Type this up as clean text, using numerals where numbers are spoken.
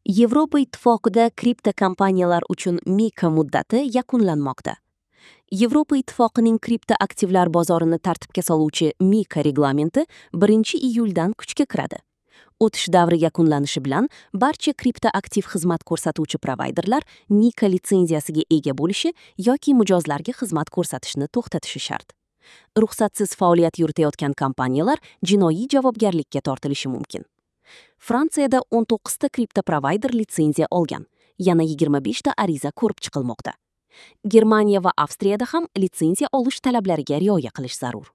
Yevropa Ittifoqida kripto kompaniyalar uchun MiCA muddati yakunlanmoqda. Yevropa Ittifoqining kripto aktivlar bozorini tartibga soluvchi MiCA reglamenti 1-iyuldan kuchga kiradi. O'tish davri yakunlanishi bilan barcha kripto aktiv xizmat ko'rsatuvchi provayderlar MiCA litsenziyasiga ega bo'lishi yoki mijozlarga xizmat ko'rsatishni to'xtatishi shart. Ruxsatsiz faoliyat yuritayotgan kompaniyalar jinoiy javobgarlikka tortilishi mumkin. Fransiyada 19 ta kripto provayder litsenziya olgan, yana 25 ta ariza ko'rib chiqilmoqda. Germaniya va Avstriyada ham litsenziya olish talablariga rioya qilish zarur.